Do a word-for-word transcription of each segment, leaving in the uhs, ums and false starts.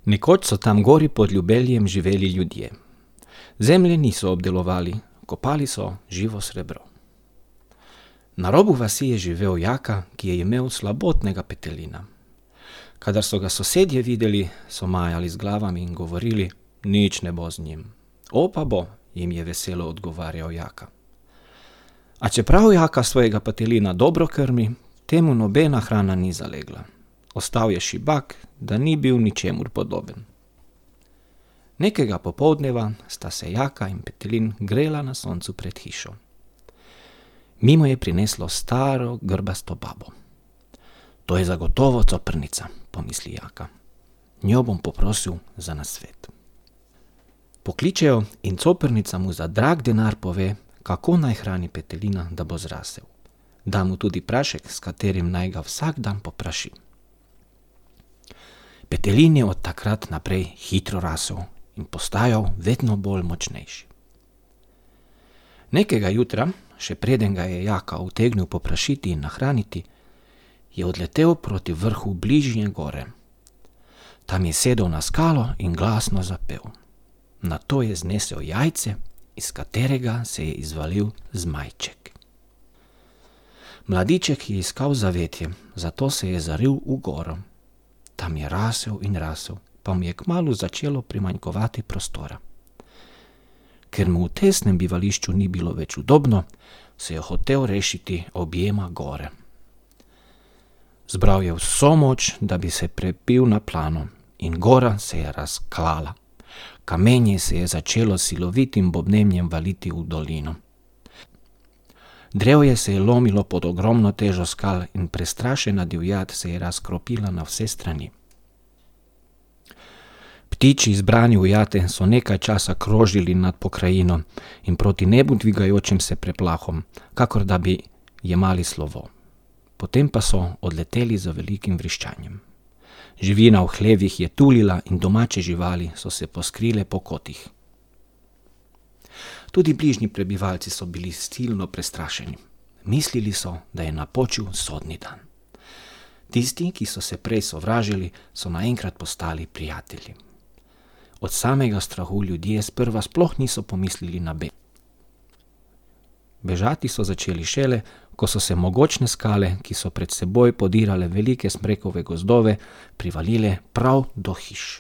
Nekoč so tam gori pod Ljubeljem živeli ljudje. Zemlje niso obdelovali, kopali so živo srebro. Na robu vasi je živel Jaka, ki je imel slabotnega petelina. Kadar so ga sosedje videli, so majali z glavami in govorili, nič ne bo z njim. O, pa bo, jim je veselo odgovarjal Jaka. A čeprav Jaka svojega petelina dobro krmi, temu nobena hrana ni zalegla. Ostal je šibak, da ni bil ničemur podoben. Nekega popoldneva sta se Jaka in petelin grela na soncu pred hišo. Mimo je prineslo staro grbasto babo. To je zagotovo coprnica, pomisli Jaka. Njo bom poprosil za nasvet. Pokličejo in coprnica mu za drag denar pove, kako naj hrani petelina, da bo zrasel. Da mu tudi prašek, s katerim naj ga vsak dan popraši. Petelin je od takrat naprej hitro rasel in postajal vedno bolj močnejši. Nekega jutra, še preden ga je Jaka utegnil poprašiti in nahraniti, je odletel proti vrhu bližnje gore. Tam je sedel na skalo in glasno zapel. Nato je znesel jajce, iz katerega se je izvalil zmajček. Mladiček je iskal zavetje, zato se je zaril v goro. Tam je rasel in rasel, pa mu je kmalu začelo primanjkovati prostora. Ker mu v tesnem bivališču ni bilo več udobno, se je hotel rešiti objema gore. Zbral je vso moč, da bi se prebil na plano, in gora se je razklala. Kamenje se je začelo silovitim bobnenjem valiti v dolino. Drevje se je lomilo pod ogromno težo skal in prestrašena divjad se je razkropila na vse strani. Ptiči izbrani v jate so nekaj časa krožili nad pokrajino in proti nebu dvigajočim se preplahom, kakor da bi jemali slovo. Potem pa so odleteli za velikim vriščanjem. Živina v hlevih je tulila in domače živali so se poskrile po kotih. Tudi bližnji prebivalci so bili silno prestrašeni. Mislili so, da je napočil sodni dan. Tisti, ki so se prej sovražili, so naenkrat postali prijatelji. Od samega strahu ljudje sprva sploh niso pomislili na beg. Bežati so začeli šele, ko so se mogočne skale, ki so pred seboj podirale velike smrekove gozdove, privalile prav do hiš.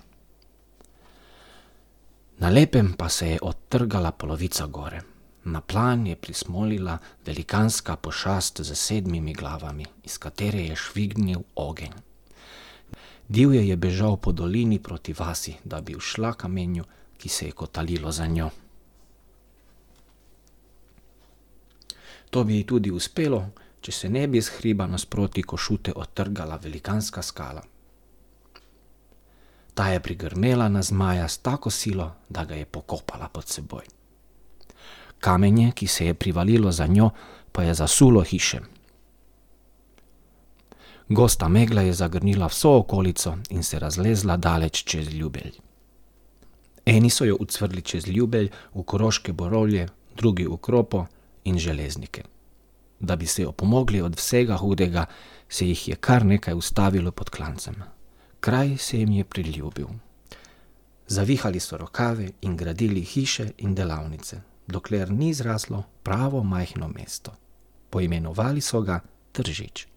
Na lepem pa se je odtrgala polovica gore. Na plan je prismolila velikanska pošast z sedmimi glavami, iz katere je švignil ogenj. Divje je bežal po dolini proti vasi, da bi ušla kamenju, ki se je kotalilo za njo. To bi ji tudi uspelo, če se ne bi z hriba nasproti Košute odtrgala velikanska skala. Ta je prigrmela na zmaja s tako silo, da ga je pokopala pod seboj. Kamenje, ki se je privalilo za njo, pa je zasulo hiše. Gosta megla je zagrnila vso okolico in se razlezla daleč čez Ljubelj. Eni so jo ucvrli čez Ljubelj v Koroške borovje, drugi v Kropo in Železnike. Da bi se opomogli od vsega hudega, se jih je kar nekaj ustavilo pod klancem. Kraj se jim je priljubil. Zavihali so rokave in gradili hiše in delavnice, dokler ni zraslo pravo majhno mesto. Poimenovali so ga Tržič.